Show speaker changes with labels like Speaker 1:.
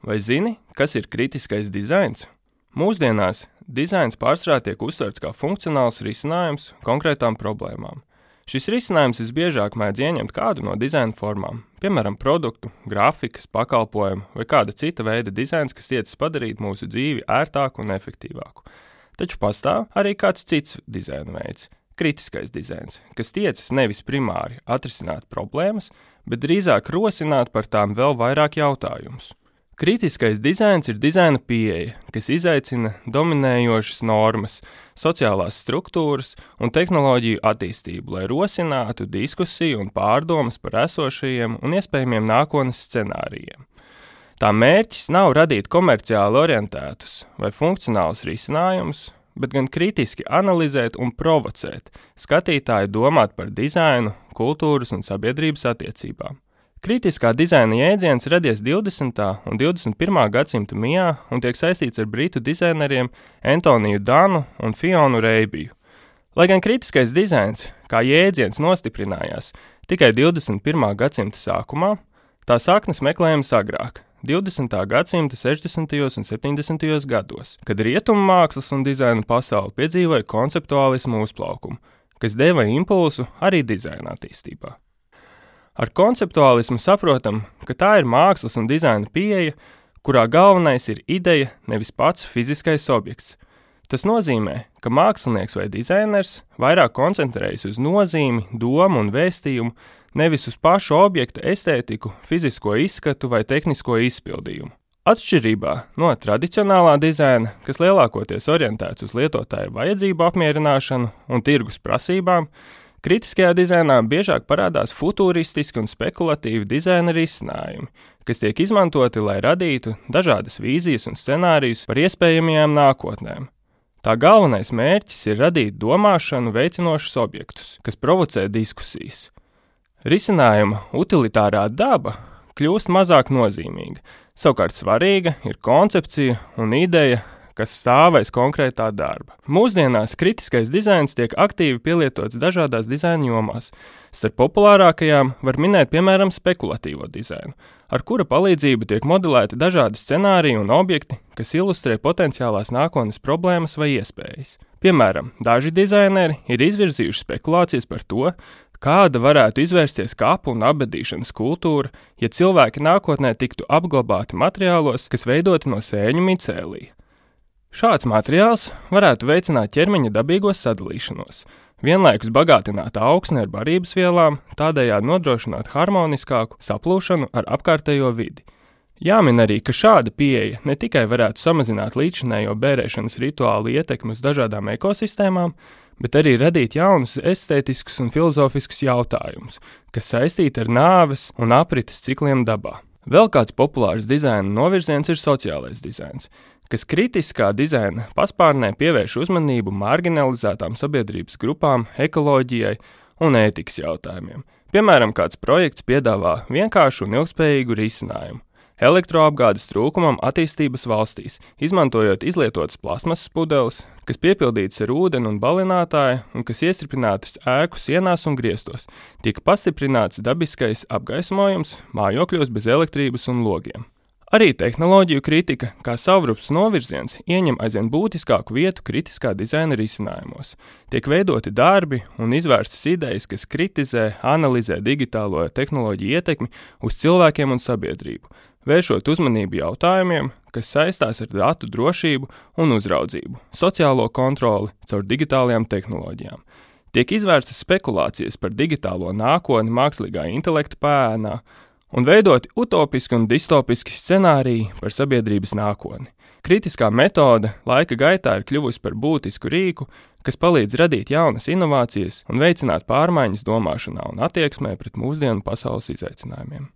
Speaker 1: Vai zini, kas ir kritiskais dizains? Mūsdienās dizains pārsvarā tiek uztverts kā funkcionāls risinājums konkrētām problēmām. Šis risinājums visbiežāk mēdz ieņemt kādu no dizaina formām, piemēram, produktu, grafikas, pakalpojumu vai kāda cita veida dizains, kas tiecas padarīt mūsu dzīvi ērtāku un efektīvāku. Taču pastāv arī kāds cits dizaina veids – kritiskais dizains, kas tiecas nevis primāri atrisināt problēmas, bet drīzāk rosināt par tām vēl vairāk jautājumus. Kritiskais dizains ir dizaina pieeja, kas izaicina dominējošas normas, sociālās struktūras un tehnoloģiju attīstību, lai rosinātu diskusiju un pārdomas par esošajiem un iespējamiem nākotnes scenārijiem. Tā mērķis nav radīt komerciāli orientētus vai funkcionālus risinājumus, bet gan kritiski analizēt un provocēt skatītāju domāt par dizainu, kultūras un sabiedrības attiecībām. Kritiskā dizaina jēdziens radies 20. un 21. gadsimta mijā un tiek saistīts ar britu dizaineriem Antoniju Danu un Fionu Reibiju. Lai gan kritiskais dizains, kā jēdziens, nostiprinājās tikai 21. gadsimta sākumā, tā saknes meklējams agrāk, 20. gadsimta 60. un 70. gados, kad rietumu mākslas un dizaina pasaule piedzīvoja konceptuālismu uzplaukumu, kas deva impulsu arī dizaina attīstībā. Ar konceptuālismu saprotam, ka tā ir mākslas un dizaina pieeja, kurā galvenais ir ideja, nevis pats fiziskais objekts. Tas nozīmē, ka mākslinieks vai dizainers vairāk koncentrējas uz nozīmi, domu un vēstījumu, nevis uz pašu objekta estētiku, fizisko izskatu vai tehnisko izpildījumu. Atšķirībā no tradicionālā dizaina, kas lielākoties orientēts uz lietotāju vajadzību apmierināšanu un tirgus prasībām, kritiskajā dizainā biežāk parādās futūristiski un spekulatīvi dizaina risinājumi, kas tiek izmantoti, lai radītu dažādas vīzijas un scenārijus par iespējamajām nākotnēm. Tā galvenais mērķis ir radīt domāšanu veicinošus objektus, kas provocē diskusijas. Risinājuma utilitārā daba kļūst mazāk nozīmīga, savukārt svarīga ir koncepcija un ideja, kas stāv aiz konkrētā darba. Mūsdienās kritiskais dizains tiek aktīvi pielietots dažādās dizaina jomās. Starp populārākajām var minēt, piemēram, spekulatīvo dizainu, ar kura palīdzību tiek modelēti dažādi scenāriji un objekti, kas ilustrē potenciālās nākotnes problēmas vai iespējas. Piemēram, daži dizaineri ir izvirzījuši spekulācijas par to, kāda varētu izvērsties kapu un apbedīšanas kultūra, ja cilvēki nākotnē tiktu apglabāti materiālos, kas veidoti no sēņu micēlija. Šāds materiāls varētu veicināt ķermeņa dabīgo sadalīšanos, vienlaikus bagātināt augsni ar barības vielām, tādējādi nodrošināt harmoniskāku saplūšanu ar apkārtējo vidi. Jāmin arī, ka šāda pieeja ne tikai varētu samazināt līdzinējo bērēšanas rituālu ietekmi uz dažādām ekosistēmām, bet arī radīt jaunus estētiskus un filozofiskus jautājumus, kas saistīti ar nāves un aprites cikliem dabā. Vēl kāds populārs dizaina novirziens ir sociālais dizains, kas kritiskā dizaina paspārnē pievērš uzmanību marginalizētām sabiedrības grupām, ekoloģijai un ētikas jautājumiem. Piemēram, kāds projekts piedāvā vienkāršu un ilgspējīgu risinājumu elektroapgādes trūkumam attīstības valstīs, izmantojot izlietotas plasmasas pudeles, kas piepildītas ar ūdeni un balinātāju un kas iestripinātas ēku sienās un griestos, tika pastiprināts dabiskais apgaismojums mājokļos bez elektrības un logiem. Arī tehnoloģiju kritika, kā savrups novirziens, ieņem aizvien būtiskāku vietu kritiskā dizaina risinājumos. Tiek veidoti darbi un izvērstas idejas, kas kritizē, analizē digitālo tehnoloģiju ietekmi uz cilvēkiem un sabiedrību, vēršot uzmanību jautājumiem, kas saistās ar datu drošību un uzraudzību, sociālo kontroli caur digitālajām tehnoloģijām. Tiek izvērstas spekulācijas par digitālo nākotni mākslīgā intelekta pēnā, un veidoti utopiski un distopiski scenāriji par sabiedrības nākotni. Kritiskā metode laika gaitā ir kļuvusi par būtisku rīku, kas palīdz radīt jaunas inovācijas un veicināt pārmaiņas domāšanā un attieksmē pret mūsdienu pasaules izaicinājumiem.